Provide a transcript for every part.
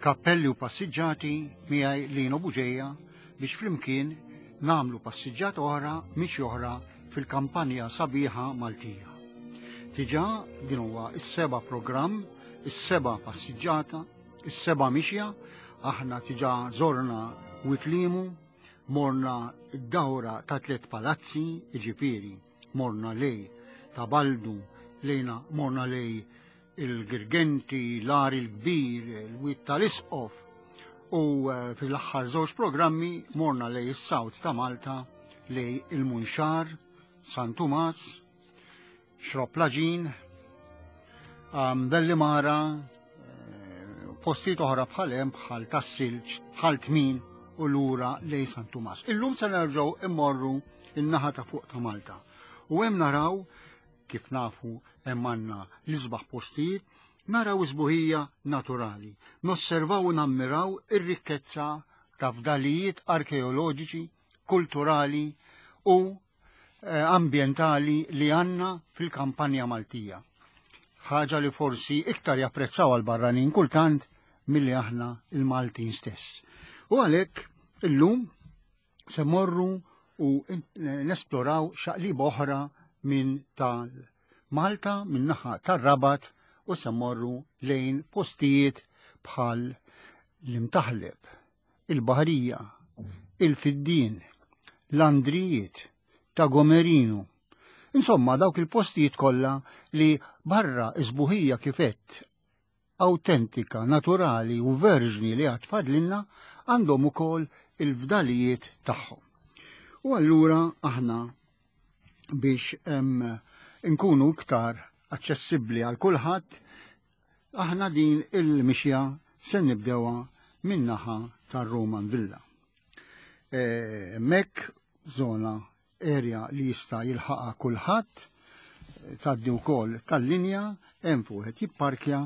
Kappelli u Passiġġati miegħi Lino Buġeja biex flimkien nagħmlu passiġġata oħra mixi oħra fil-kampanja sabiħa Maltija. Diġà din huwa s-seba' programm, is-seba' passiġġata, is-seba' mixja, aħna diġà żorna Witlimu, morna d-dawra ta' tliet palazzi, jiġifieri morna lej ta' Baldu, lejna morna lej il-Girgenti, l-Għar il-Kbir, il-Wied tal-Isqof u eh, fil-aħħar żewġ programmi morna lej is-South ta' Malta lej il-Munxar, San Tumas, Xrob Laġin, um, Dellimara, eh, postijiet oħra bħal hemm bħal tas-silġ, bħal tmin u lura lej San Tumas. Illum se nerġgħu immorru in-naħa ta' fuq ta' Malta. U hemm naraw kif nafu hemm għandna l-isbaħ postijiet, naraw isbuħija naturali, nosservaw u nammiraw ir-rikkezza ta' fdalijiet arkeoloġiċi, kulturali u eh, ambjentali li għandna fil-kampanja Maltija. Ħaġa li forsi iktar japprezzaw għal barranin kultant milli aħna il-Maltin stess. U għalhekk illum se morru u nesploraw xaqlib oħra minn tal Malta minn naħa tar-Rabat u se morru lejn postijiet bħal l-Imtaħleb, il-Baħrija, il-Fiddien, l-Andrijiet, ta' Gomerinu. Insomma, dawk il-postijiet kollha li barra isbuħija kifett awtentika, naturali u verġni li għad fadlinna għandhom ukoll il-fdalijiet tagħhom. U allura aħna biex nkunu iktar aċċessibbli għal kulħadd, aħna din il-mixja se nibdewha min-naħa tar-Roman Villa. E, Mek zona area li jista' jilħaqha kulħadd, tgħaddi wkoll tal-linja, hemm fuq wieħed jipparkja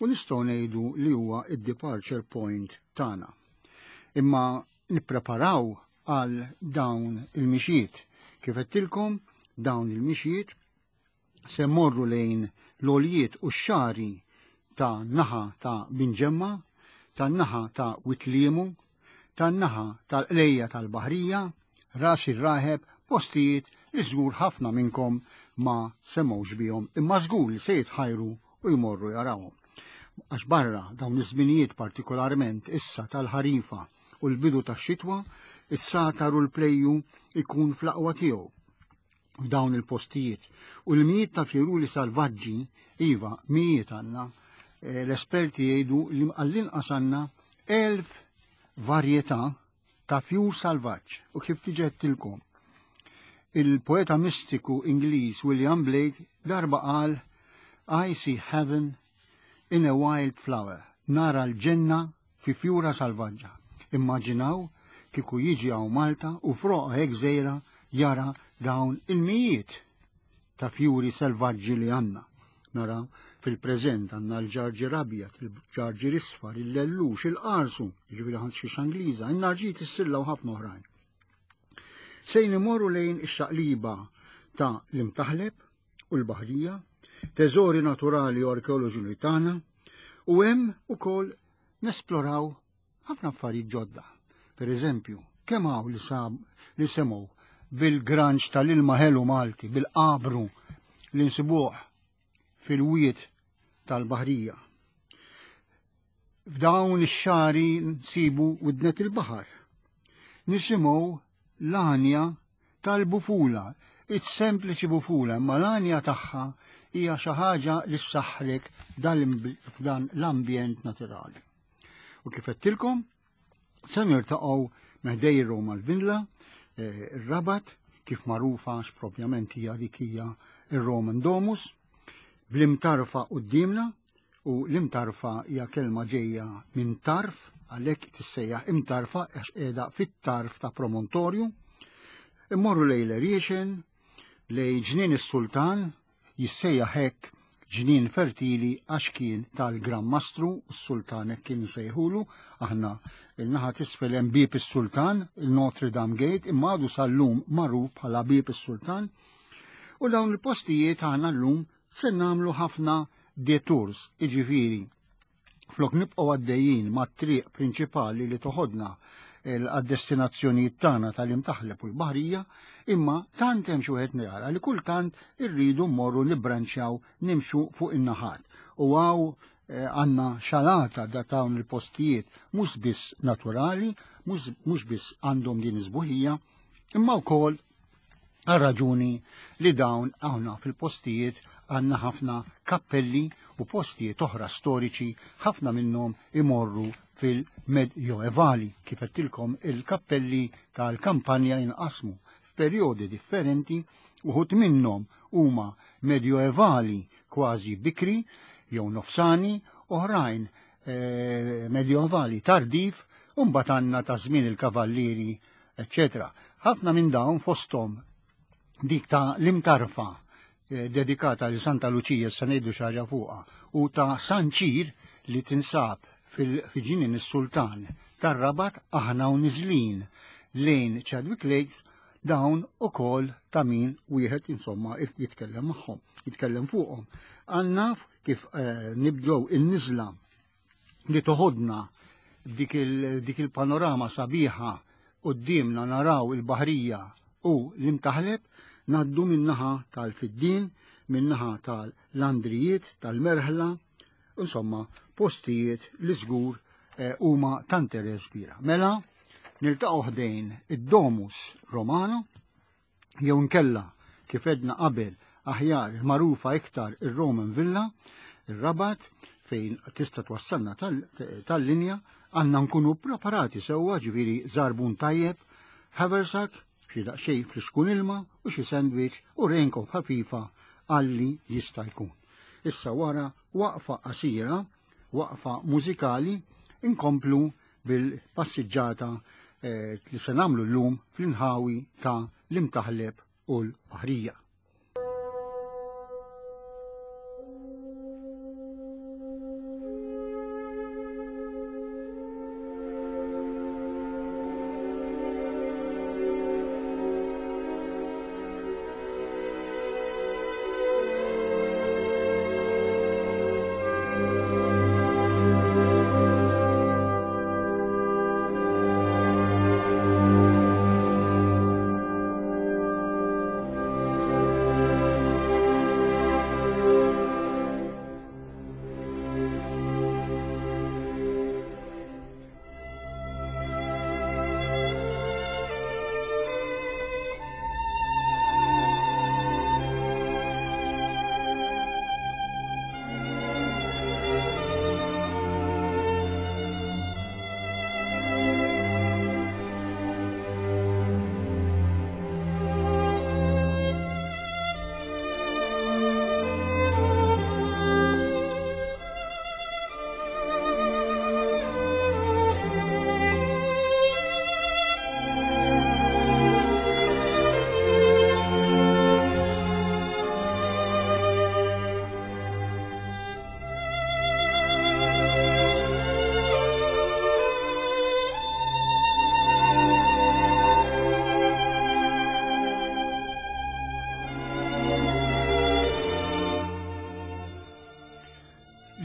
u nistgħu ngħidu li huwa id-departure point tagħna. Imma nippreparaw għal dawn il-mixjiet. Kif għedtilkom, dawn il-mixjiet se morru lejn l-għoljiet u x-xari ta' naħa ta' Binġemma, ta' naħa ta' Witliemu, ta' naħa tal-Qlejja tal-Baħrija, Ras ir-Raħeb, postijiet li żgur ħafna minnkom ma semgħux bihom imma żgur li se jitħajru u jmorru jarawhom. Għax barra dawn iż-żminijiet partikolarment issa tal-ħarifa u l-bidu tax-xitwa, is-satar u l-plejju ikun fl-aqwa tiegħu f'dawn il-postijiet. U l-mijiet ta' fjuruli salvaġġi, iva, mijiet għandna, eh, l-esperti jgħidu li għall-inqas għandna elf varjetà ta' fjur salvaġġ u kif tiġettilkom. Il-poeta mistiku Ingliż William Blake darba qal I see heaven in a wild flower, nara l-ġenna fi fjura salvaġġa. Immaġinaw kieku jiġi hawn Malta u froqa hekk żgħira jara dawn il-mijiet ta' fjuri selvaġġi li għandna. Naraw fil-preżent għandna l-ġarġir abjad, il-ġarġir isfar, il-lellux, il-qarsu, ġifieri ħadd xi Angliża, in-narġit is-silla u ħafna oħrajn. Sejn imorru lejn ix-xaqliba ta' l-imtaħleb u l-baħrija, teżori naturali u arkeoloġi tagħna, u hemm ukoll nesploraw ħafna affarijiet ġodda. Per eżempju, kemm hawn li sab li semgħu bil-granċ tal-ilma ħelu Malti, bil-qabru li nsibuh fil-wied tal-baħrija. F'dawn ix-xari nsibu widnet il-baħar. Nisimgħu l-għanja tal-bufula, it's-sempliċi bufula, imma l-għanja tagħha hija xi ħaġa li ssaħħrek f'dan l-ambjent naturali. U kif għedtilkom, se nirtaqgħu meħdej Roma l-Villa, eh, ir-Rabat, kif magħrufa għax propjament hija dik hija ir-Roman Domus, bl-imtarfa qudiemna u l-imtarfa hija kelma ġejja minn tarf, għalhekk tissejjaħ imtarfa għax qiegħda fit-tarf ta' promontorju. Immorru lejn l-Eriexen, lejn ġnien is-Sultan, jissejjaħ hekk ġnien fertili għax kien tal-Gran Mastru, s-Sultan hekk kienu sejħulu, aħna il-naħa t'isfel hemm Bieb is-Sultan, il-Notre Dame Gate, imma għadu sal-lum magħruf bħala Bieb is-Sultan. U dawn il-postijiet aħna llum se nagħmlu ħafna detours, iġifieri. Minflok nibqgħu għaddejjin mat-triq prinċipali li toħodna għad-destinazzjonijiet tagħna tal-Imtaħleb u l-Baħrija, imma tant hemm xi wieħed jara li kultant irridu mmorru nibbranċjaw nimxu fuq in-naħat. U hawn eh, għandna xalata da dawn il-postijiet mhux biss naturali, mhux biss għandhom din iż-sbuħija, imma wkoll għal raġuni li dawn hawnna fil-postijiet għandna ħafna kappelli u postijiet oħra storiċi ħafna minnhom imorru fil-Medjoevali kif għedtilkom il-kappelli tal-kampanja jinqasmu f'perjodi differenti uħud minnhom huma medjoevali kważi bikri jew nofsani, oħrajn eh, medjoevali tardiv, u mbagħad għandna ta' żmien il-kavallieri eċċetera. Ħafna minn dawn fosthom dik ta' l-imtarfa eh, dedikata li Santa Luċija se ngħidu xi ħaġa fuqha u ta' San Ċir li tinsab fil-ġinien is-Sultan tar-Rabat aħna u niżlin lejn Chadwick Lakes dawn ukoll ta' min wieħed insomma jitkellem magħhom, jitkellem fuqhom. Għandna kif eh, nibdew in-niżla li toħodna dik il-panorama sabiħa qudiemna naraw il-baħrija u l-imtaħleb naddu minnaħa tal-fiddin, minnaħa tal-landrijiet, tal-merħla, insomma postijiet li żgur eh, huma ta' interess kbira. Mela, niltaqgħu ħdejn id-Domus Romano, jew inkella kif edna qabel aħjar magħrufa iktar ir-Roman Villa, ir-Rabat, fejn tista' twassalna tal-linja, għandna nkunu preparati sewwa ġifieri żarbun tajjeb, haversack, xi daqsxejn fl-xkun ilma u xi sandwich u raincoat ħafifa għalli jista' jkun. Issa wara waqfa qasira, waqfa mużikali, inkomplu bil-passiġġata eh, li se nagħmlu llum fl-inħawi ta' l-Imtaħleb u l-Baħrija.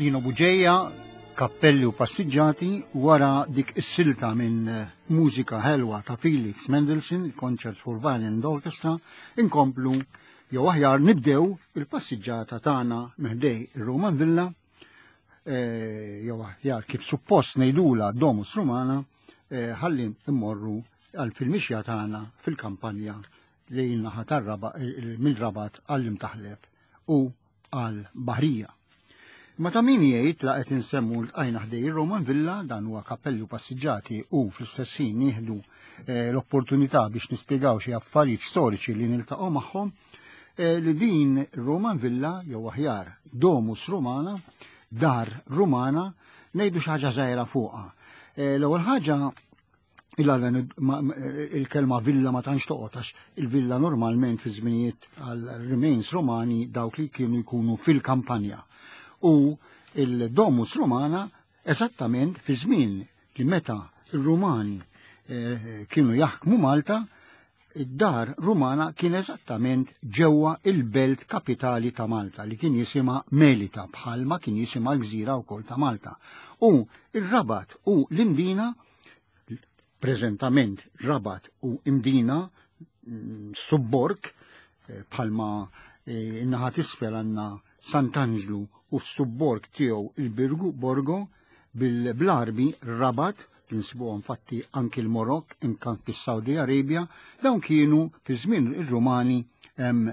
Lino Buġeja, kappelli u passiġġati wara dik is-silta minn eh, mużika ħelwa ta' Felix Mendelssohn, il-Concert for Violin and Orchestra, inkomplu jew aħjar nibdew il-passiġġata tagħna meħdej ir-Roman Villa eh, jew aħjar kif suppost ngħidula Domus Romana eh, ħalli immorru għal fil-mixja tagħna fil-kampanja li naħa mill-Rabat għall-Imtaħleb u għal Baħrija. Ma ta' min jgħid la qed insemmu l-qajna ħdej Roman Villa dan huwa kappellu passiġġati u fl-istess ħin nieħdu eh, l-opportunità biex nispjegaw xi affarijiet storiċi li niltaqgħu magħhom eh, li din Roman Villa jew aħjar Domus Romana, dar Rumana, ngħidu xi ħaġa żgħira fuqha. Eh, l-ewwel ħaġa il-kelma villa ma tantx toqgħod għax il-villa normalment fi żminijiet għal remains Romani dawk li kienu jkunu fil-kampanja. U il-Domus Romana eżattament fi żmien li meta ir-Rumani eh, kienu jaħkmu Malta id-dar Rumana kien eżattament ġewwa il-belt kapitali ta' Malta li kien jisimha Melita bħalma kien jisimha l-gżira wkoll ta' Malta. U ir-Rabat u l-Imdina, preżentament Rabat u Imdina, subborg, bħalma in-naħa t'isfel għandna Sant'Anġlu u s-subborg tiegħu il-Birgu Borgo, bil-Arbi Rabat, li nsibuhom fatti anki l-Marokk, anki s-Saudi Arabia, dawn kienu fi żmien ir-Rumani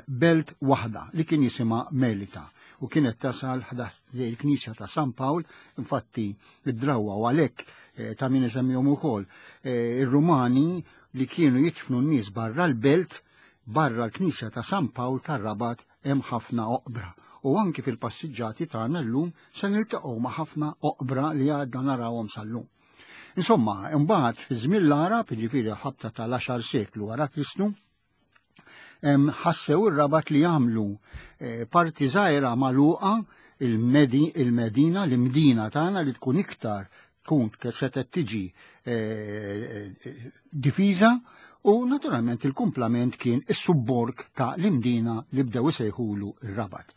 belt waħda li kien jisimha Melita u kienet tasal il-Knisja ta' San Pawl, infatti id-drawwa u għalhekk ta' min isemmihom ukoll ir-Rumani li kienu jidfnu n-nies barra l-belt, barra l-Knisja ta' San Pawl tar-Rabat hemm ħafna oqbra. U anki fil-passiġġati tagħna llum se niltaqgħu ma' ħafna oqbra li għadna narawhom sal-lum. Insomma, imbagħad fi żmien l-Għarab, jiġifieri ħabta tal-10 seklu wara Kristu, ħassew ir-Rabat li jagħmlu parti żgħira magħluqa il-Medina, l-Imdina tagħna li tkun iktar tkun setgħet tiġi difiża, u naturalment il-kumplament kien is-subborg ta' l-Imdina li bdew isejħulu r-Rabat.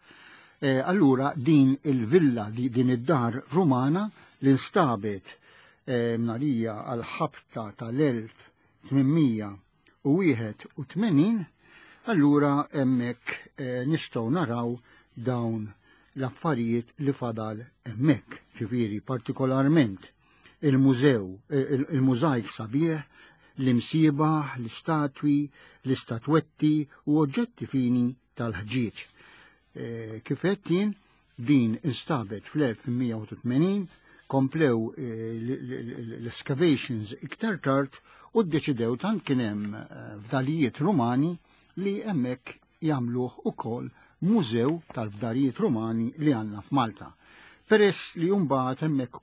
Allura din il-villa, din id-dar Rumana li nstabet mnarija għal-ħabta tal-1881, allura hemmhekk nistgħu naraw dawn l-affarijiet li fadal hemmhekk, ġifieri partikolarment il-mużew, il-mużajk sabiħ, l-imsiebaħ, l-istatwi, l-istatwetti u oġġetti fini tal-ħġieġ. Kif qed jien, din instabet fl-1880, komplew l-excavations iktar tard u ddeċidew tant kien hemm fdalijiet Rumani li hemmhekk jagħmluh ukoll mużew tal-fdalijiet Rumani li għandna f'Malta. Peress li mbagħad hemmhekk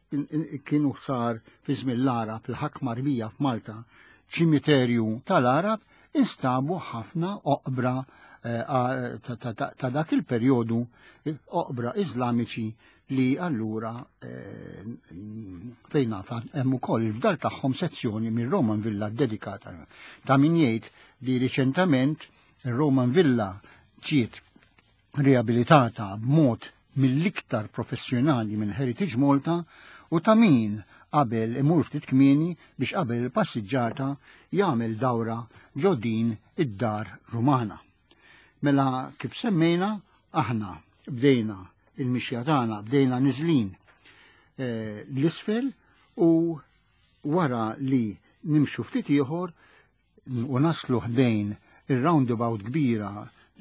kienu sar fi żmien l-Għarab, il-ħakma Arbija f'Malta, ċimiterju tal-Għarab, instabu ħafna oqbra ta' dak il-perjodu, oqbra Iżlamiċi li allura fejn naf hemm ukoll il-fdal tagħhom sezzjoni minn Roman Villa dedikata. Ta' min jgħid li riċentament il-Roman Villa ġiet riabilitata b'mod mill-iktar professjonali minn Heritage Malta, u ta' min qabel imur ftit kmieni biex qabel il-passiġġata jagħmel dawra ġo din id-dar Rumana. Mela kif semmejna, aħna bdejna il-mixja tagħna, bdejna niżlin l-isfel, u wara li nimxu ftit ieħor u naslu ħdejn ir-roundabout kbira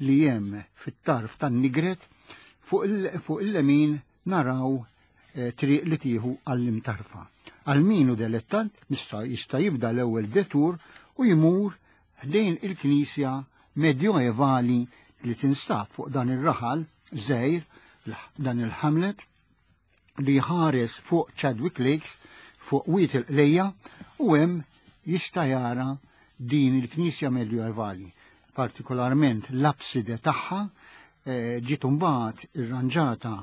li hemm fit-tarf tan-Nigret, fuq il-lemin naraw triq li tieħu għall-Imtarfa. Għal min hu delettant jista' jibda l-ewwel detur u jmur ħdejn il-knisja medjoevali li tinstab fuq dan ir-raħal żgħir, dan il-hamlet li ħares fuq Chadwick Lakes, fuq Wied il-Qlejja, u hemm jista' jara din il-knisja medjoevali, partikolarment l-abside tagħha ġiet imbagħad irranġata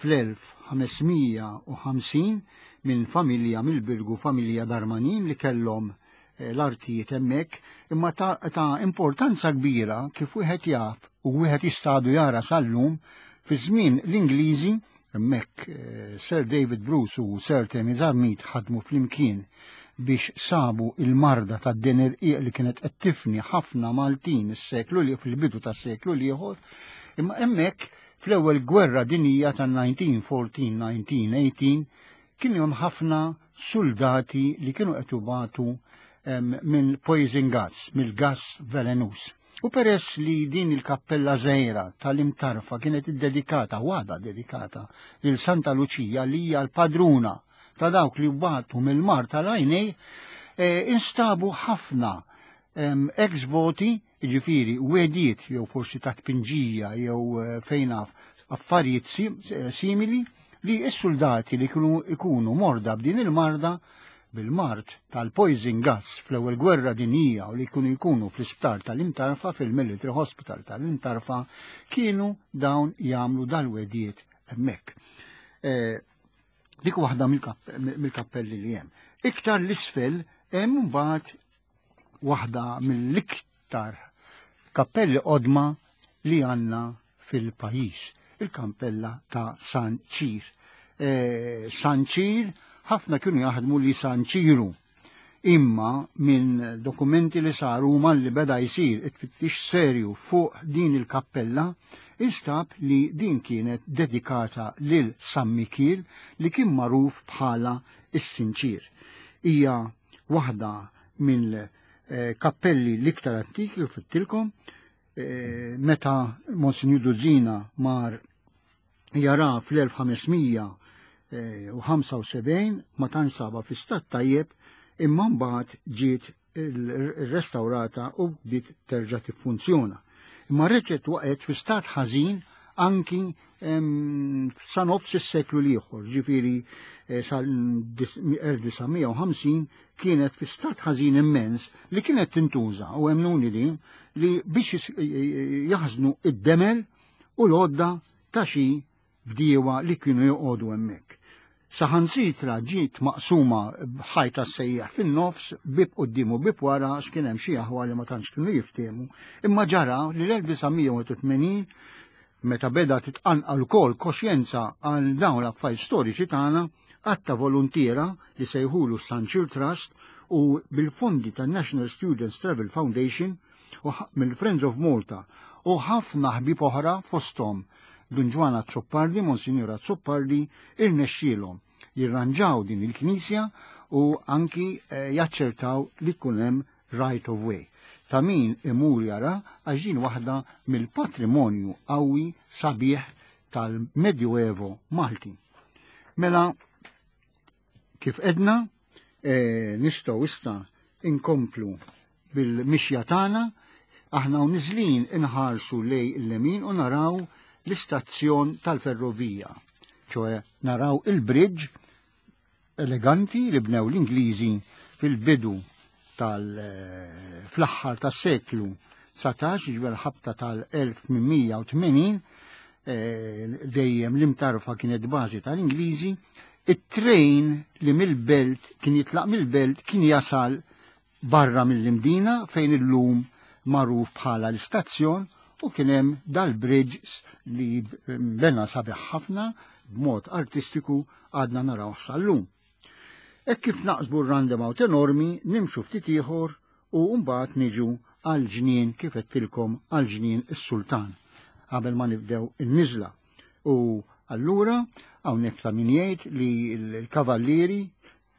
fl-1550 minn familja mill-Birgu, familja Darmanin, li kellhom l-artijiet hemmhekk, imma ta' importanza kbira kif wieħed jaf u wieħed jistadu jara sal-lum fi żmien l-Ingliżi hemmhekk Sir David Bruce u Sir Temi Zammit ħadmu flimkien biex sabu il-marda ta' din irqiq li kienet qed tifni ħafna Maltin is-seklu li fil-bidu tas-seklu l-ieħor, imma hemmhekk fl-ewwel gwerra dinjija ta' 1914-1918 kien hemm ħafna soldati li kienu qed jubatu minn poison gas, mill-gas velenus. U peress li din il-kappella żgħira tal-Imtarfa kienet iddedikata, waħda dedikata lil Santa Luċija li hija l-padruna ta' dawk li batu mill-mar tal-għajnej, instabu ħafna ex-voti, jiġifieri wediet jew forsi ta' tpinġija jew fejn naf affarijiet simili li s-soldati li kienu ikunu morda b'din il-marda bil-mard tal-poison gas fl-ewwel gwerra dinjija u li kienu jkunu fl-isptar tal-Imtarfa, fil-Military Hospital tal-Imtarfa, kienu dawn jagħmlu dal-wediet hemmhekk. Dik waħda mill-kappelli li hemm. Iktar l-isfel hemm mbagħad waħda mill-iktar mill-iktar kappelli qodma li għandna fil-pajjiż, il-kappella ta' San Ċir. San Ċir ħafna kienu jaħdmu li San Ċiru. Imma minn dokumenti li saru malli beda jsir it-tfittix serju fuq din il-kappella, instab li din kienet dedikata lil San Mikiel li kien magħruf bħala is-Sinċir. Hija waħda minn kappelli l-iktar antiki u fittilkom, meta Monsinjur Duzina mar jara fl-1575 ma tantx saba fi stat tajjeb, imma mbagħad ġiet restaurata u bdiet terġa' tiffunzjona. Imma reġgħet waqgħet fi stat ħażin anki sa nofs is-seklu l-ieħor, ġifieri sal-1950 kienet fi stat ħażin immens li kienet tintuża u emmnuni din li biex jaħżnu id-demel u l-għodda ta' xi bdiewa li kienu joqogħdu hemmhekk. Saħansitra ġiet maqsuma b'ħajta sejjaħ fin-nofs, bib quddiem u bib wara, għax kien hemm xi aħwa li ma tantx kienu jiftehmu, imma ġara li l-1981 meta beda titqanqal ukoll koxjenza għal dawn l-affarijiet storiċi tagħna, għadd ta' voluntiera li sejħulu San Ċir Trust u bil-fondi tan-National Students Travel Foundation u mill-Friends of Malta u ħafna ħbieb oħra fosthom Dun Ġwann Azzopardi, Monsignor Azzopardi, irnexxielhom jirranġaw din il-knisja u anki jaċċertaw li jkun hemm right of way. Ta' min imur jara għax din waħda mill-patrimonju qawwi sabiħ tal-Medjuevo Malti. Mela, kif edna, nistgħu issa inkomplu bil-mixja tagħna, aħna u niżlin inħarsu lej il-lemin u naraw l-istazzjon tal-ferrovija, ċoe naraw il-bridge eleganti li bnew l-Ingliżi fil-bidu fl-aħħar tas-seklu 19, ġifieri ħabta tal-1880, dejjem l-imtarfa kienet bażi tal-Ingliżi, it-trejn li mill-belt kien jitlaq mill-belt kien jasal barra mill-Imdina fejn illum magħruf bħala l-istazzjon, u kien hemm dal-bridge li bena sabiħ ħafna b'mod artistiku għadna naraw sal-lum. Hekk kif naqsbu r-roundabout enormi, nimxu ftit ieħor u mbagħad niġu għal-ġnien kif għedtilkom għal-ġnien is-Sultan qabel ma nibdew in-niżla. U allura hawnhekk ta' min jgħid li l-kavallieri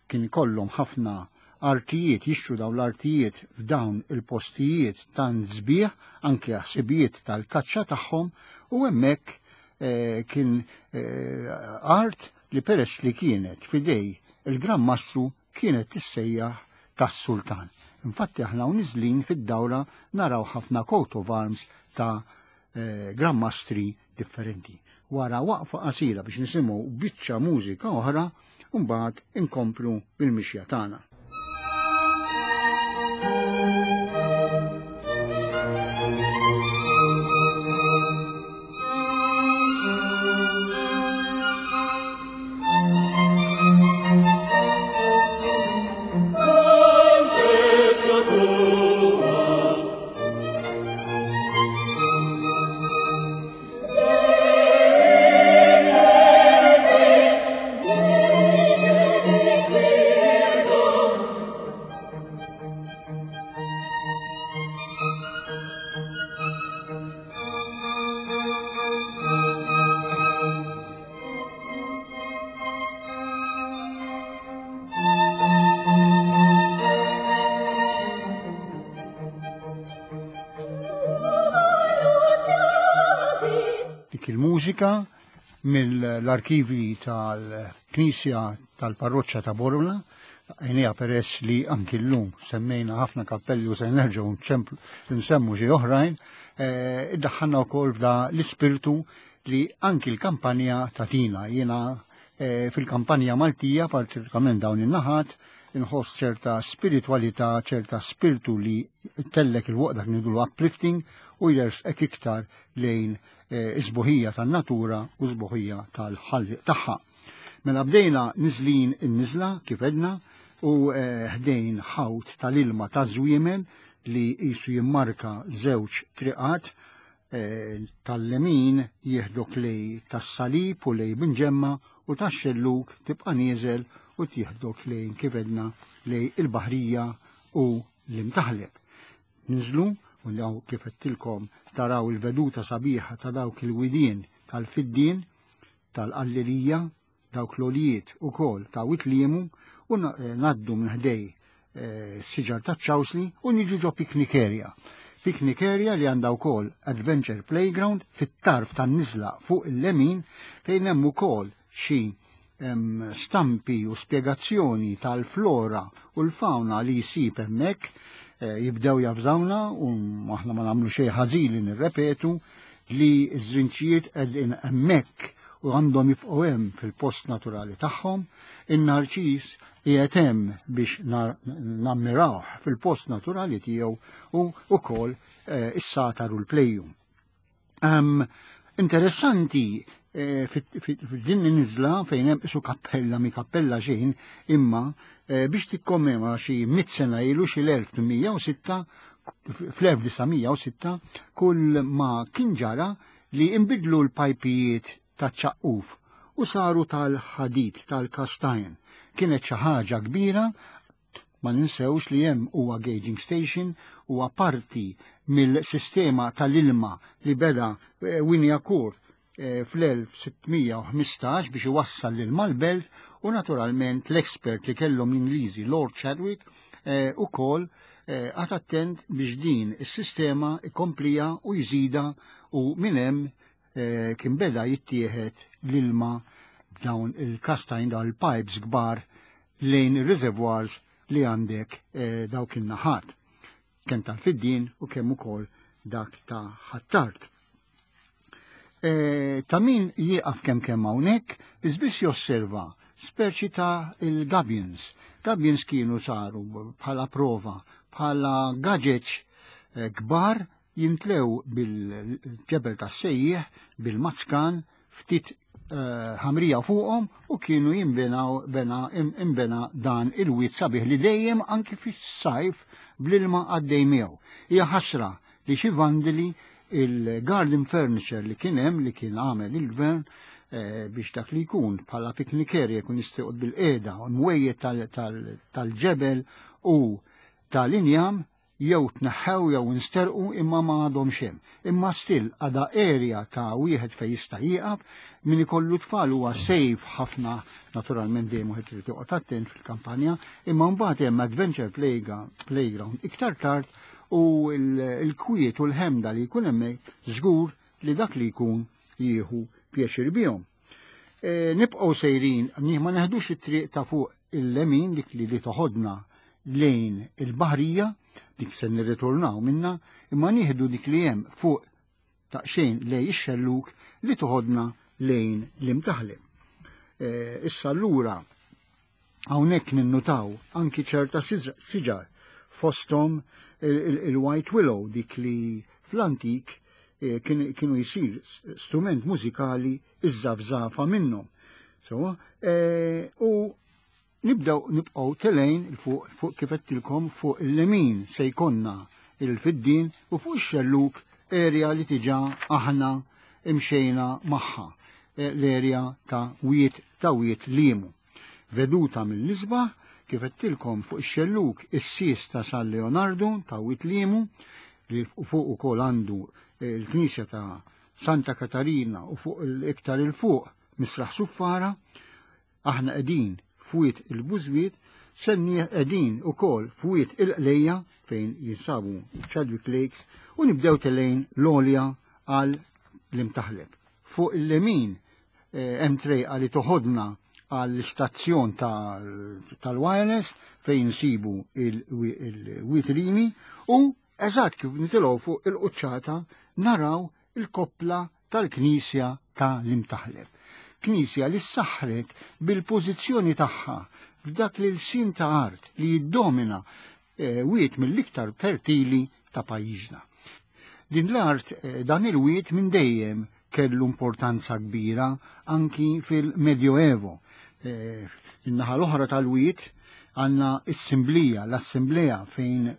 kien ikollhom ħafna artijiet, jixtru dawn l-artijiet f'dawn il-postijiet tant sbieħ, anke ħsibijiet tal-kaċċa tagħhom, u hemmhekk kien art li peress li kienet fidej il-Gran Mastru kienet tissejjaħ tas-Sultan. Infatti aħna u niżlin fid-dawra naraw ħafna coat of arms ta' Gran Mastri differenti. Wara waqfa qasira biex nisimgħu biċċa mużika oħra, mbagħad inkomplu bil-mixja tagħna. Dik il-mużika mill-arkivi tal-Knisja tal-Parroċċa ta' Bormla, għajnija peress li anki llum semmejna ħafna kappelli u se nerġgħu nsemmu xi oħrajn, iddaħħalna wkoll f'da l-ispirtu li anki l-kampanja tatina. Jiena fil-kampanja Maltija, partikolarment dawn in-naħat, inħoss ċerta spiritualità, ċerta spirtu li tellek il-waqt dak ngħidulu uplifting u jersqek iktar lejn is-sbuħija tan-natura u s-sbuħija tal-ħalliq tagħha. Mela bdejna niżlin in-niżla kif edna u ħdejn ħawt tal-ilma ta' żwiemel li qisu jimmarka żewġ triqat eh, tal-lemin jieħdok lej tas-salib u lej binġemma u tax-xelluk tibqa' nieżel u tieħdok lejn kif edna lej il-baħrija u l-imtaħleb. Ninżlu u daw kif għedtilkom taraw il-veduta sabiħa ta' dawk il-widien tal-fiddien tal-qallilija dawk l-għoljiet ukoll ta' Witliemu u eh, naddu minn ħdej eh, siġar ta' ċawsli u niġu ġo picnic area. Picnic area li għandha wkoll adventure playground fit-tarf tan-niżla fuq il-lemin fejn hemm ukoll xi stampi u spjegazzjoni tal-flora u l-fauna li jsib hemmhekk eh, jibdew jafżawna u aħna ma nagħmlu xejn ħażin li nirrepetu li ż-żrinċijiet qegħdin hemmhekk u għandhom jibqgħu hemm fil-post naturali tagħhom, in-narċis qiegħed hemm biex nammirawh fil-post naturali tiegħu u wkoll eh, is-satar u l-plejjum. Um, interessanti eh, f'din nizla fejn hemm isu kappella mi kappella xejn imma eh, biex tikkommemora xi mit sena ilu xi l-1806 fl-1906 kull ma kien ġara li imbidlu l-pajpijiet ta' ċaqquf u saru tal-ħadid tal-kastajn. Kienet xi ħaġa kbira Ma ninsewx li hemm huwa gauging station huwa parti mill-sistema tal-ilma li beda eh, Wynyacourt eh, fl-1615 biex iwassal l-ilma l-belt u naturalment l-expert li kellhom l-Ingliżi Lord Chadwick eh, ukoll għad attent biex din is-sistema ikomplija u jżida u minn hemm kien beda jittieħed l-ilma b'dawn il-kastajn dawn il-pipes kbar lejn ir-reservoirs li għandek eh, dawk in-naħat, kemm tal-fiddien u kemm ukoll dak ta' ħattart. E, ta' min jieqaf kemm kemm hawnhekk, biss josserva speċi ta' il-gabions. Gabions kienu saru bħala prova, bħala gaġeċ eh, kbar jimtlew bil-ġebel tas-sejjieħ, bil-mazkan, ftit eh, ħamrija fuqhom u kienu jinbenaw bena imbena dan il-wied sabiħ li dejjem anki fis-sajf bl-ilma għaddej miegħu. Hija ħasra li xi vandali il-garden furniture li kien hemm li kien għamel il-gvern eh, biex dak li jkun bħala picnic area jkun jista' bil-qiegħda u mwejjed tal-ġebel u tal-injam jew tneħħew jew insterqu imma ma għadhomx hemm. Imma still għadha area ta' wieħed fejn jista' jieqaf min ikollu tfal huwa safe ħafna naturalment dejjem wieħed irid joqgħod attent fil-kampanja, imma mbagħad hemm adventure playground iktar tard u l-kwiet u l-ħemda li jkun hemmhekk żgur li dak li jkun jieħu pjaċir bihom. E, nibqgħu sejrin, ma neħdux it-triq ta' fuq il-lemin dik li li toħodna lejn il-baħrija, dik se nirritornaw minna, imma nieħdu dik li hemm fuq taqxejn lej ix-xelluk li toħodna lejn l-imtaħleb. E, issa allura hawnhekk ninnutaw anki ċerta siġar fosthom il-White Willow dik li fl-antik e, kienu jisir strument mużikali iż-żafżafa minnhom. So, e, u nibdew nibqgħu telejn fuq fuq kif għedtilkom fuq il-lemin se jkollna il-fiddin u fuq ix-xelluk area li tiġa aħna imxejna magħha e, l-area ta' wiet ta' wiet limu. Veduta mill-isbaħ kif għedtilkom fuq ix-xelluk is-sis ta' San Leonardo ta' wiet limu li fuq ukoll għandu l-knisja ta' Santa Katarina u fuq l-iktar il-fuq Misraħ Suffara, aħna qegħdin fwiet il-Bużwiet, senni qegħdin ukoll fwiet il-Qlejja fejn jinsabu Chadwick Lakes u nibdew telejn l-għolja għal l-imtaħleb. Fuq il-lemin eh, hemm trejqa li toħodna għall-istazzjon tal-wireless fejn nsibu il-witrini u eżatt kif nitilgħu fuq il-quċċata naraw il-koppla tal-Knisja ta' l-Imtaħleb. Knisja li ssaħħret bil-pożizzjoni tagħha f'dak li l-sin ta' art li jiddomina eh, wiet mill-iktar fertili ta' pajjiżna. Din l-art eh, dan il-wiet minn dejjem kellu importanza kbira anki fil-Medjoevo. Eh, in-naħa l-oħra tal-wiet għandna s-simblija, l-assemblea fejn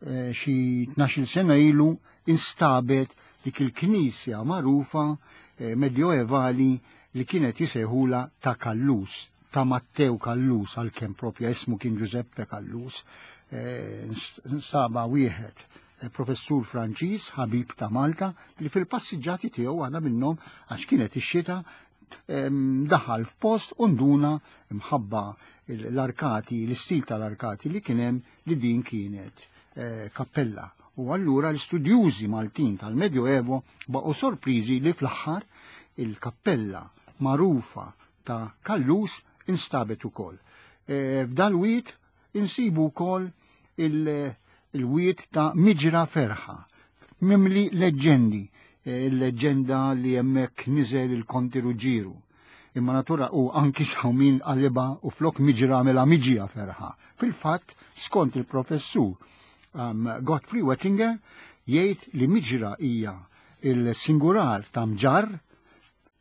eh, xi 12 sena ilu instabet dik il-knisja magħrufa eh, medjoevali li kienet jisejħula ta' Kallus, ta' Mattew Kallus għalkemm propja ismu kien Giuseppe Kallus, eh, instaba wieħed eh, professur Franċiż, ħabib ta' Malta, li fil-passiġġati tiegħu għana minnhom għax kienet ix-xita daħal f'post u nduna mħabba l-arkati, l-istil tal-arkati li kien hemm li din kienet eh, kappella. U allura l-istudjużi Maltin tal-Medjoevo baqgħu sorpriżi li fl-aħħar il-kappella magħrufa ta' Kallus instabet ukoll. Eh, f'dal-wied insibu wkoll il-wied ta' Miġra Ferħa, mimli leġġendi, eh, il-leġġenda li hemmhekk niżel il-Konti Ruġġieru. Imma natura u anki sawmin qaliba u flok miġra mela miġija ferħa. Fil-fatt, skont il-professur um, Godfrey Wettinger, jgħid li miġra hija il-singular ta' mġarr,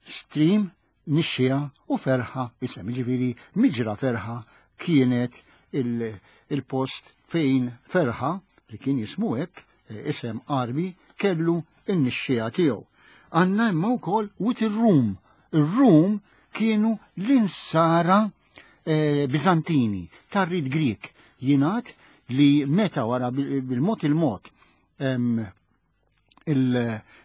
stream, nixxiegħa u ferħa isem. Jiġifieri miġra ferħa kienet il-post fejn ferħa li kien jismu hekk eh, isem Arbi kellu n-nixxiegħa tiegħu. Għandna imma wkoll wit ir-Rum. Ir-Rum kienu l-insara eh, Bizantini tar-rit Grieg. Jingħad li meta wara bil-mod il-mod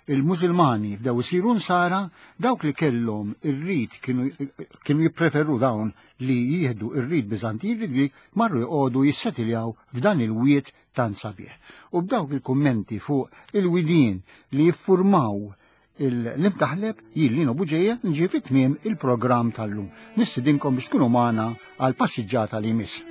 il-Musulmani bdew isiru nsara, dawk li kellhom ir-rit kienu jippreferu dawn li jieħdu ir-rit Biżantin rit Grieg marru jqogħdu jissetiljaw f'dan il-wied tant sabiħ. U b'dawk il-kummenti fuq il-widien li jiffurmaw l-imtaħleb jien Lino Buġeja nġi fit tmiem il-programm tal-lum. Nistidinkom biex tkunu magħna għal passiġġata li jmiss.